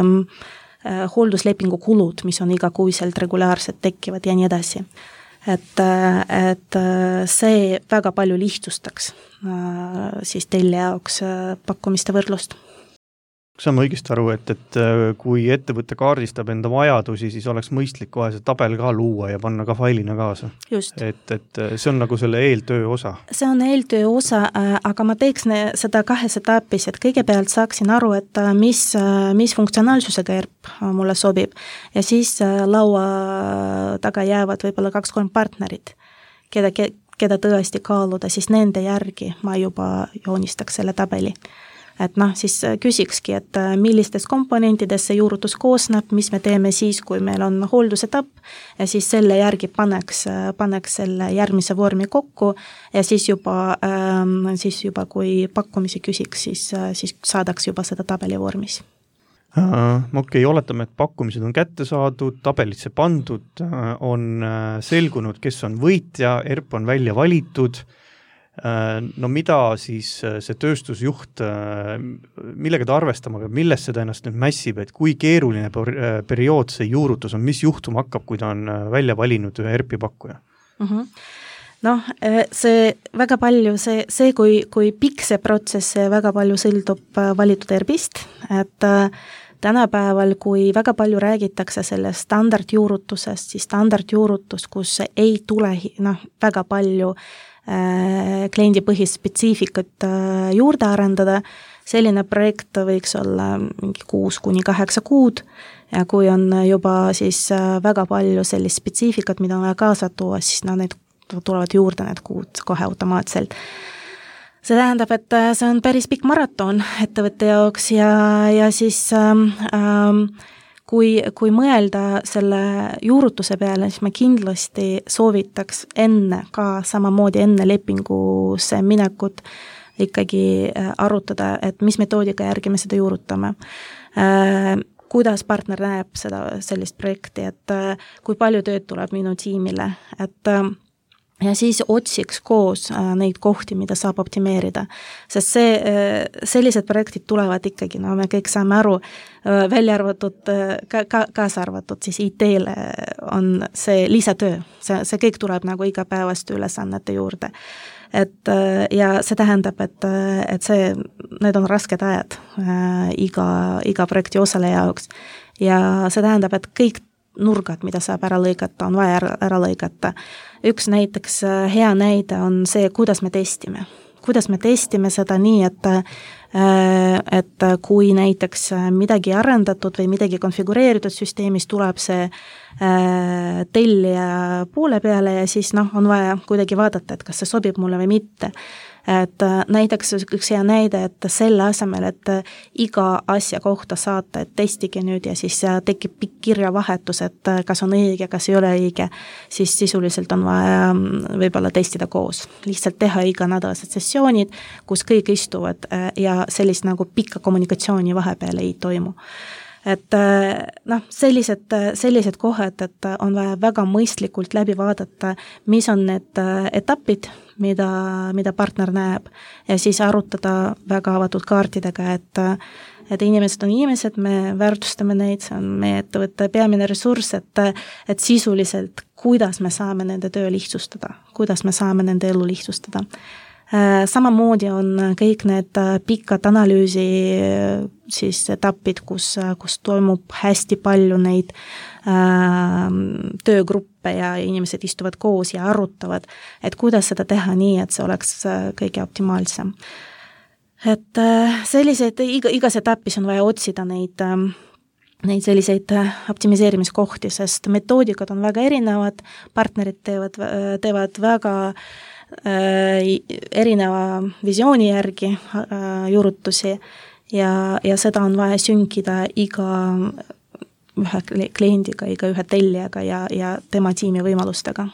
C: äh, hoolduslepingu kulud, mis on igakuiselt regulaarselt tekkivad ja nii edasi. Et, et see väga palju lihtsustaks äh, siis teile jaoks äh, pakkumiste võrdlust.
B: Saan ma õigesti aru, et, et kui ettevõtte kaardistab enda vajadusi, siis oleks mõistlik kohe see tabel ka luua ja panna ka failina kaasa.
C: Just.
B: Et, et see on nagu selle eeltöö osa.
C: See on eeltöö osa, aga ma teeks seda kahes etapis, et kõigepealt saaksin aru, et mis, mis funktsionaalsusega E R P mulle sobib ja siis laua taga jäävad võib-olla kaks-kolm partnerit, keda, keda tõesti kaaluda, siis nende järgi ma juba joonistaks selle tabeli. Et noh, siis küsikski, et millistest komponentidest see juurutus koosneb, mis me teeme siis, kui meil on hooldusetapp ja siis selle järgi paneks, paneks selle järgmise vormi kokku ja siis juba, ähm, siis juba kui pakkumisi küsiks, siis, siis saadaks juba seda tabeli vormis.
B: Uh, okei, oletame, et pakkumised on kätte saadud, tabelisse pandud, on selgunud, kes on võitja, E R P on välja valitud. No mida siis see tööstusjuht, millega ta arvestama peab, millest seda ennast nüüd mässib, et kui keeruline periood see juurutus on, mis juhtum hakkab, kui ta on välja valinud ühe E R P-i pakkuja?
C: Uh-huh. Noh, see väga palju, see, see kui, kui pikk see protsess, see väga palju sõltub valitud E R P-ist, et tänapäeval, kui väga palju räägitakse selle standardjuurutusest, siis standardjuurutus, kus ei tule noh, väga palju kliendipõhist spetsiifikat juurde arendada, selline projekt võiks olla mingi kuus kuni kaheksa kuud ja kui on juba siis väga palju sellist spetsiifikat, mida on vaja kaasa tuua, siis no, need tulevad juurde need kuud kohe automaatselt. See tähendab, et see on päris pikk maraton ettevõtte jaoks ja, ja siis ähm, ähm, Kui, kui mõelda selle juurutuse peale, siis ma kindlasti soovitaks enne, ka samamoodi enne lepingusse minekut ikkagi arutada, et mis metoodika järgi me seda juurutame. Kuidas partner näeb seda, sellist projekti, et kui palju tööd tuleb minu tiimile, et ja siis otsiks koos neid kohti, mida saab optimeerida. Sest see, sellised projektid tulevad ikkagi, no me kõik saame aru, välja arvatud, ka, ka, kaasa arvatud, siis I T-le on see lisatöö. See, see kõik tuleb nagu igapäevaste ülesannete juurde. Et, ja see tähendab, et, et see, need on rasked ajad iga, iga projekti osaleja jaoks. Ja see tähendab, et kõik nurgad, mida saab ära lõigata, on vaja ära, ära lõigata. Üks näiteks hea näide on see, kuidas me testime. Kuidas me testime seda nii, et, et kui näiteks midagi arendatud või midagi konfigureeritud süsteemis, tuleb see tellija poole peale ja siis noh, on vaja kuidagi vaadata, et kas see sobib mulle või mitte. Et näiteks üks hea näide, et selle asemel, et iga asja kohta saata, et testige nüüd ja siis tekib pikk kirjavahetus, et kas on õige, kas ei ole õige, siis sisuliselt on vaja võib-olla testida koos. Lihtsalt teha iganädalased sessioonid, kus kõik istuvad ja sellist nagu pikka kommunikatsiooni vahepeal ei toimu. Et noh, sellised, sellised kohad, et on vaja väga mõistlikult läbi vaadata, mis on need etapid, mida, mida partner näeb ja siis arutada väga avatud kaartidega, et, et inimesed on inimesed, me väärtustame neid, see on meie ettevõtte peamine ressurss, et, et sisuliselt, kuidas me saame nende töö lihtsustada, kuidas me saame nende elu lihtsustada. Samamoodi on kõik need pikad analüüsi siis etapid, kus, kus toimub hästi palju neid äh, töögruppe ja inimesed istuvad koos ja arutavad, et kuidas seda teha nii, et see oleks kõige optimaalsem. Et äh, sellised, iga, igas etapis on vaja otsida neid äh, neid selliseid optimiseerimiskohti, sest metoodikad on väga erinevad, partnerid teevad, teevad väga äh, erineva visiooni järgi äh, juurutusi ja, ja seda on vaja sünkida iga ühe kliendiga, iga ühe tellijaga ja, ja tema tiimi võimalustega.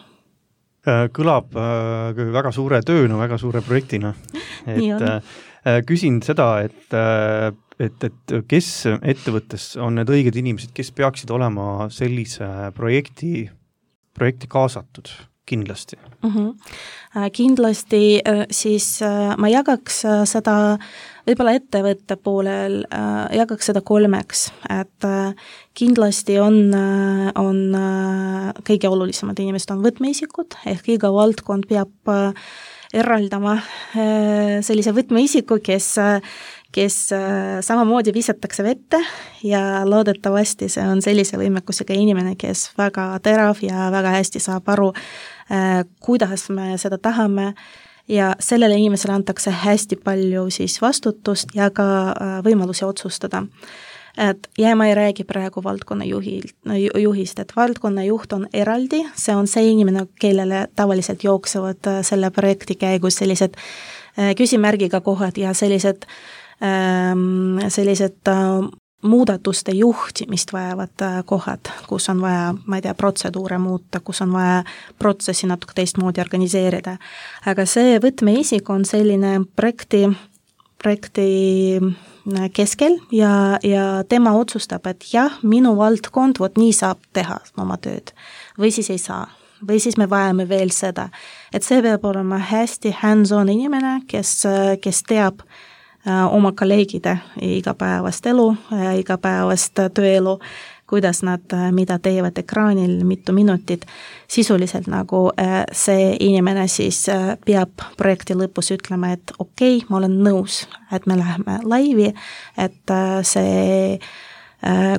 B: Kõlab äh, väga suure tööna, väga suure projektina. Et, äh, küsin seda, et äh, et, et kes ettevõttes on need õiged inimesed, kes peaksid olema sellise projekti, projekti kaasatud kindlasti?
C: Mm-hmm. Kindlasti siis ma jagaks seda võib-olla ettevõtte poolel, jagaks seda kolmeks, et kindlasti on, on kõige olulisemad inimesed on võtmeisikud, ehk iga valdkond peab eraldama sellise võtmeisiku, kes kes samamoodi visatakse vette ja loodetavasti see on sellise võimekusega inimene, kes väga terav ja väga hästi saab aru, kuidas me seda tahame ja sellele inimesele antakse hästi palju siis vastutust ja ka võimalusi otsustada. Et, ja ma ei räägi praegu valdkonna juhilt, juhist, et valdkonna juht on eraldi, see on see inimene, kellele tavaliselt jooksevad selle projekti käigus sellised küsimärgiga kohad ja sellised sellised muudatuste juhtimist vajavad kohad, kus on vaja, ma ei tea, protseduure muuta, kus on vaja protsessi natuke teistmoodi organiseerida. Aga see võtmeisik on selline projekti, projekti keskel ja, ja tema otsustab, et jah, minu valdkond, vot nii saab teha oma tööd või siis ei saa. Või siis me vajame veel seda. Et see peab olema hästi hands-on inimene, kes, kes teab oma kolleegide igapäevast elu, igapäevast tööelu, kuidas nad, mida teevad ekraanil, mitu minutit. Sisuliselt nagu see inimene siis peab projekti lõpus ütlema, et okei, okay, ma olen nõus, et me läheme laivi, et see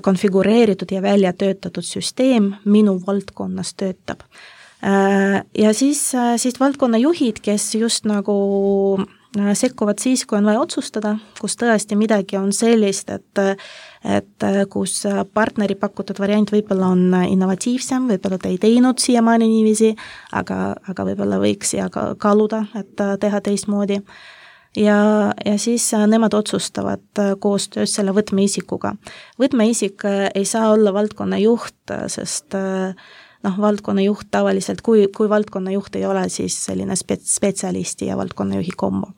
C: konfigureeritud ja välja töötatud süsteem minu valdkonnas töötab. Ja siis, siis valdkonna juhid, kes just nagu sekkuvad siis, kui on vaja otsustada, kus tõesti midagi on sellist, et, et kus partneri pakutud variant võib-olla on innovatiivsem, võib-olla ta ei teinud siiamaani niiviisi, aga, aga võib-olla võiks ja kaaluda, et teha teistmoodi. Ja, ja siis nemad otsustavad koostöös selle võtmeisikuga. Võtmeisik ei saa olla valdkonna juht, sest noh, valdkonna juht tavaliselt, kui, kui valdkonna juht ei ole, siis selline spetsialisti ja valdkonna juhi kombo.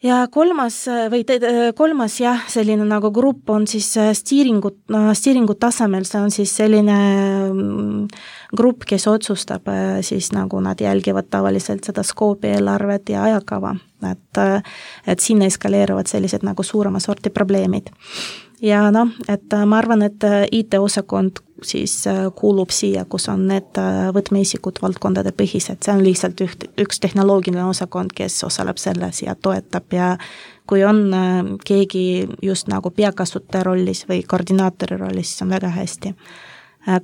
C: Ja kolmas, või te, kolmas jah, selline nagu grupp on siis stiiringut, stiiringut tasemel, see on siis selline grupp, kes otsustab, siis nagu nad jälgivad tavaliselt seda skoopi eelarvet ja ajakava, et, et sinna eskaleeruvad sellised nagu suurema sorti probleemid. Ja noh, et ma arvan, et I T-osakond siis kuulub siia, kus on need võtmeisikud valdkondade põhised, see on lihtsalt üht, üks tehnoloogiline osakond, kes osaleb selles ja toetab ja kui on keegi just nagu peakasutaja rollis või koordinaatori rollis, siis on väga hästi.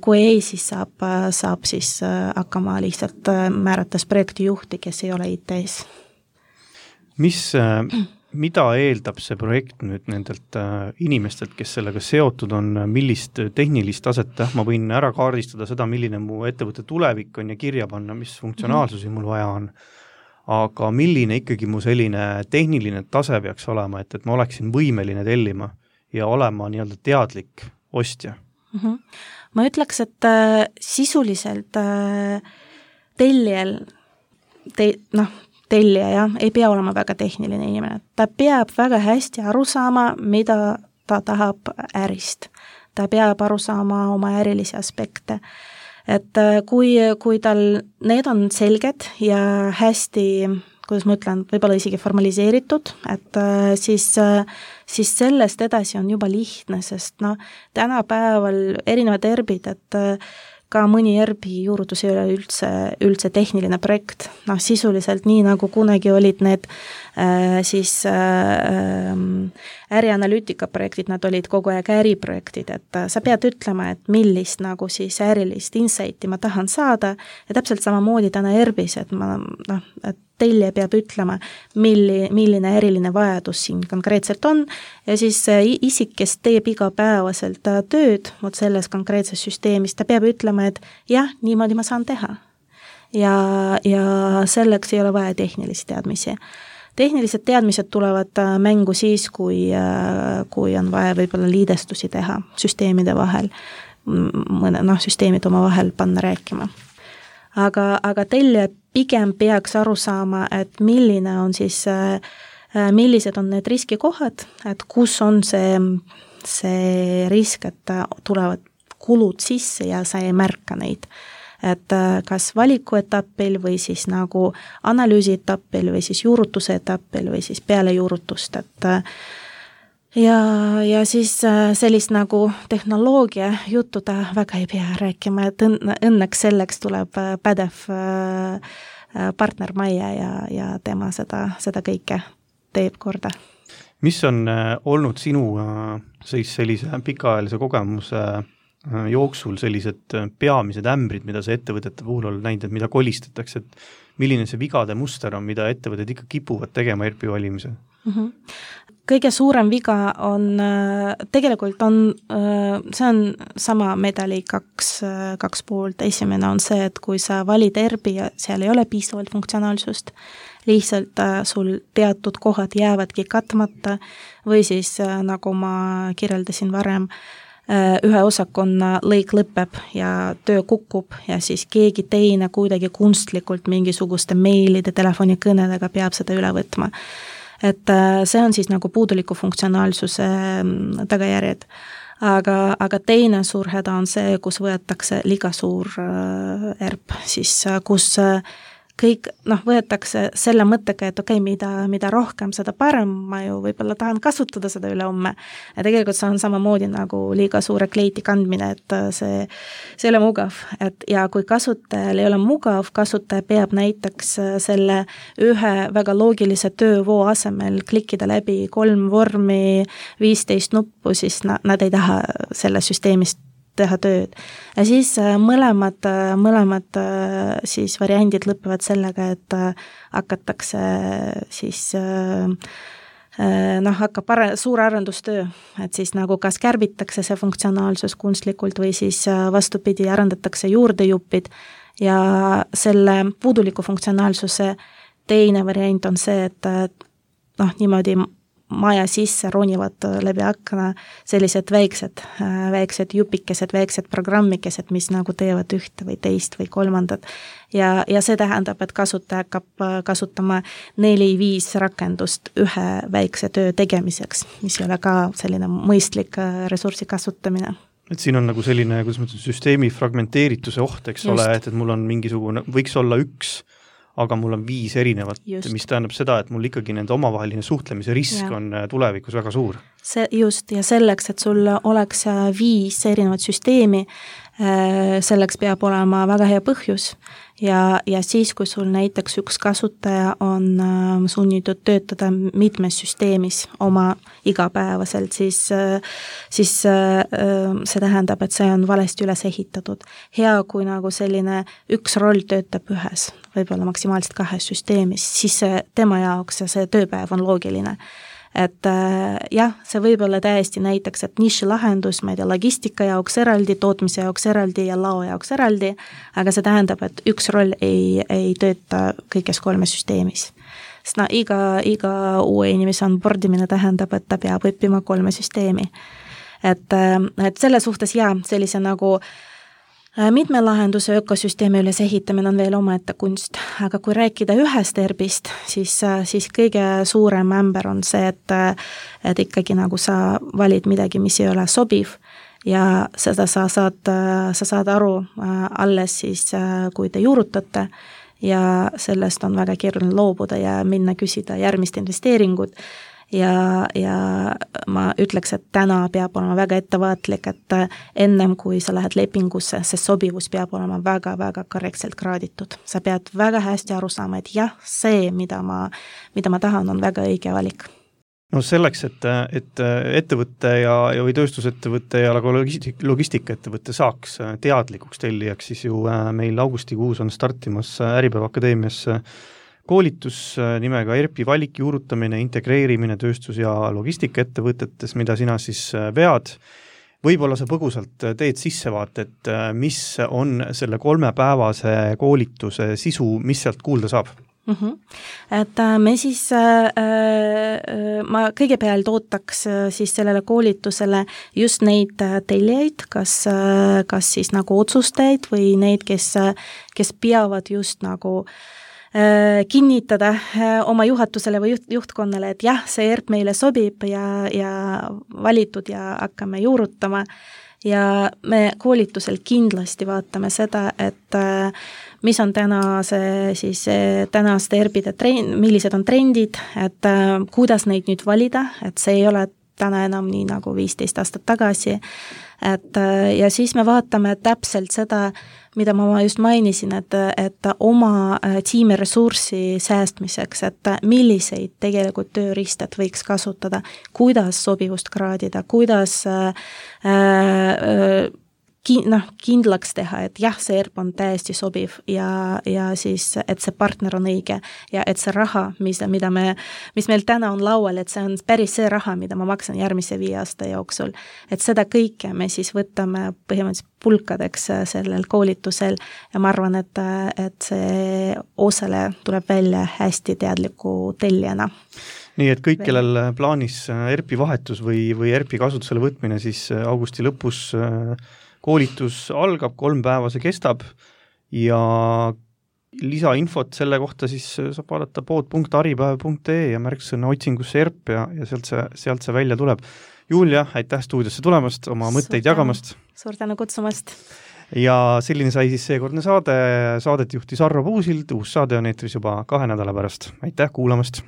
C: Kui ei, siis saab, saab siis hakkama lihtsalt määrates projektijuhti, kes ei ole I T-s.
B: Mis mida eeldab see projekt nüüd nendelt äh, inimestelt, kes sellega seotud on, millist tehnilist taset, ma võin ära kaardistada seda, milline mu ettevõtte tulevik on ja kirja panna, mis funktsionaalsusi mul vaja on, aga milline ikkagi mu selline tehniline tase peaks olema, et, et ma oleksin võimeline tellima ja olema nii-öelda teadlik ostja?
C: Mm-hmm. Ma ütleks, et äh, sisuliselt äh, tellijal te, noh, tellija ja, ei pea olema väga tehniline inimene. Ta peab väga hästi aru saama, mida ta tahab ärist. Ta peab aru saama oma ärilisi aspekte. Et kui, kui tal need on selged ja hästi, kuidas ma ütlen, võib-olla isegi formaliseeritud, et siis, siis sellest edasi on juba lihtne, sest no, tänapäeval erinevad erbid, et ka mõni erbi juurutus ei ole üldse, üldse tehniline projekt. Noh, sisuliselt nii, nagu kunagi olid need äh, siis äh, ärianalüütika projektid, nad olid kogu aeg äriprojektid, et äh, sa pead ütlema, et millist nagu siis ärilist insighti ma tahan saada ja täpselt samamoodi täna erbis, et ma, noh, et tellija peab ütlema, milli, milline eriline vajadus siin konkreetselt on ja siis isik, kes teeb igapäevaselt tööd vot selles konkreetses süsteemis, ta peab ütlema, et jah, niimoodi ma saan teha. Ja, ja selleks ei ole vaja tehnilisi teadmisi. Tehnilised teadmised tulevad mängu siis, kui, kui on vaja võib-olla liidestusi teha süsteemide vahel, mõne, noh, süsteemid oma vahel panna rääkima. Aga, aga tellija pigem peaks aru saama, et milline on siis, millised on need riskikohad, et kus on see, see risk, et tulevad kulud sisse ja sa ei märka neid. Et kas valiku etapil või siis nagu analüüsi etapil või siis juurutuse etapil või siis peale juurutust, et ja, ja siis sellist nagu tehnoloogia juttu ta väga ei pea rääkima, et õnneks selleks tuleb pädev partner Maia ja, ja tema seda, seda kõike teeb korda.
B: Mis on olnud sinu siis sellise pikaajalise kogemuse jooksul sellised peamised ämbrid, mida see ettevõtete puhul on näinud, et mida kolistatakse, et milline see vigade muster on, mida ettevõtted ikka kipuvad tegema E R P-i valimisel? Mm-hmm.
C: Kõige suurem viga on, tegelikult on, see on sama medali kaks, kaks poolt. Esimene on see, et kui sa valid E R P-i ja seal ei ole piisavalt funktsionaalsust, lihtsalt sul teatud kohad jäävadki katmata või siis, nagu ma kirjeldasin varem, ühe osakonna lõik lõpeb ja töö kukub ja siis keegi teine kuidagi kunstlikult mingisuguste meilide, telefonikõnedega peab seda üle võtma. Et see on siis nagu puuduliku funktsionaalsuse tagajärjed. Aga, aga teine suur häda on see, kus võetakse liiga suur E R P, siis kus kõik, noh, võetakse selle mõttega, et okei, okay, mida, mida rohkem, seda parem, ma ju võib-olla tahan kasutada seda üle homme. Ja tegelikult see on samamoodi nagu liiga suure kleiti kandmine, et see, see ei ole mugav. Et ja kui kasutajal ei ole mugav, kasutaja peab näiteks selle ühe väga loogilise töövoo asemel klikkida läbi kolm vormi, viisteist nuppu, siis nad ei taha selle süsteemist teha tööd. Ja siis mõlemad, mõlemad siis variandid lõpevad sellega, et hakatakse siis noh, hakkab pare, suur arendustöö, et siis nagu kas kärbitakse see funktsionaalsus kunstlikult või siis vastupidi arendatakse juurdejupid ja selle puuduliku funktsionaalsuse teine variant on see, et noh, niimoodi maja sisse ronivad läbi akna sellised väiksed, väiksed jupikesed, väiksed programmikesed, mis nagu teevad ühte või teist või kolmandat. Ja, ja see tähendab, et kasutaja hakkab kasutama neli-viis rakendust ühe väikse töö tegemiseks, mis ei ole ka selline mõistlik ressursi kasutamine.
B: Et siin on nagu selline, kuidas ma ütlen, süsteemi fragmenteerituse oht, eks Just. ole, et, et mul on mingisugune, võiks olla üks aga mul on viis erinevat, just. Mis tähendab seda, et mul ikkagi nende omavaheline suhtlemise risk ja. On tulevikus väga suur.
C: See just, ja selleks, et sul oleks viis erinevat süsteemi, selleks peab olema väga hea põhjus ja, ja siis, kui sul näiteks üks kasutaja on sunnitud töötada mitmes süsteemis oma igapäevaselt, siis, siis see tähendab, et see on valesti üles ehitatud. Hea, kui nagu selline üks roll töötab ühes, võib-olla maksimaalselt kahes süsteemis, siis see tema jaoks ja see tööpäev on loogiline. Et jah, see võib olla täiesti näiteks, et niši lahendus, ma ei tea, logistika jaoks eraldi, tootmise jaoks eraldi ja lao jaoks eraldi, aga see tähendab, et üks roll ei, ei tööta kõiges kolme süsteemis. Sest no, iga, iga uue inimese onboardimine tähendab, et ta peab õppima kolme süsteemi. Et, et selle suhtes jah, sellise nagu mitme lahenduse ökosüsteemi üles ehitamine on veel omaette kunst, aga kui rääkida ühest E R P-ist, siis, siis kõige suurem ämber on see, et, et ikkagi nagu sa valid midagi, mis ei ole sobiv ja seda sa saad, sa saad aru alles siis, kui te juurutate ja sellest on väga keeruline loobuda ja minna küsida järgmist investeeringut. Ja, ja ma ütleks, et täna peab olema väga ettevaatlik, et ennem kui sa lähed lepingusse, see sobivus peab olema väga-väga korrektselt kraaditud. Sa pead väga hästi aru saama, et jah, see, mida ma, mida ma tahan, on väga õige valik.
B: No selleks, et, et ettevõtte ja, ja või tööstusettevõtte ja logistik, logistikaettevõtte saaks teadlikuks tellijaks, siis ju meil augustikuus on startimas Äripäeva Akadeemias koolitus nimega ERP-i valik, juurutamine, integreerimine tööstus- ja logistikaettevõtetes, mida sina siis vead. Võib-olla sa põgusalt teed sissevaate, et mis on selle kolmepäevase koolituse sisu, mis sealt kuulda saab?
C: Mm-hmm. Et me siis, äh, ma kõigepealt ootaks siis sellele koolitusele just neid tellijaid, kas, kas siis nagu otsustajaid või neid, kes, kes peavad just nagu kinnitada oma juhatusele või juht, juhtkonnale, et jah, see E R P meile sobib ja, ja valitud ja hakkame juurutama ja me koolitusel kindlasti vaatame seda, et mis on tänase siis tänaste E R P-de trend, millised on trendid, et kuidas neid nüüd valida, et see ei ole täna enam nii nagu viisteist aastat tagasi, et ja siis me vaatame täpselt seda, mida ma just mainisin, et, et oma tiimi ressurssi säästmiseks, et milliseid tegelikult tööriistad võiks kasutada, kuidas sobivust kraadida, kuidas äh, äh, noh, kindlaks teha, et jah, see E R P on täiesti sobiv ja, ja siis, et see partner on õige ja et see raha, mis, mida me, mis meil täna on laual, et see on päris see raha, mida ma maksan järgmise viie aasta jooksul. Et seda kõike me siis võtame põhimõtteliselt pulkadeks sellel koolitusel ja ma arvan, et, et see osale tuleb välja hästi teadliku tellijana.
B: Nii et kõik, kellel plaanis E R P-i vahetus või, või E R P-i kasutusele võtmine, siis augusti lõpus koolitus algab, kolm päeva see kestab ja lisainfot selle kohta siis saab vaadata pood punkt aripäev punkt ee ja märksõna otsingusse E R P ja, ja sealt see, sealt see välja tuleb. Julia, aitäh stuudiosse tulemast, oma mõtteid
C: Suur
B: jagamast.
C: Suur tänu kutsumast.
B: Ja selline sai siis seekordne saade, saadet juhtis Arvo Puusild, uus saade on eetris juba kahe nädala pärast. Aitäh kuulamast!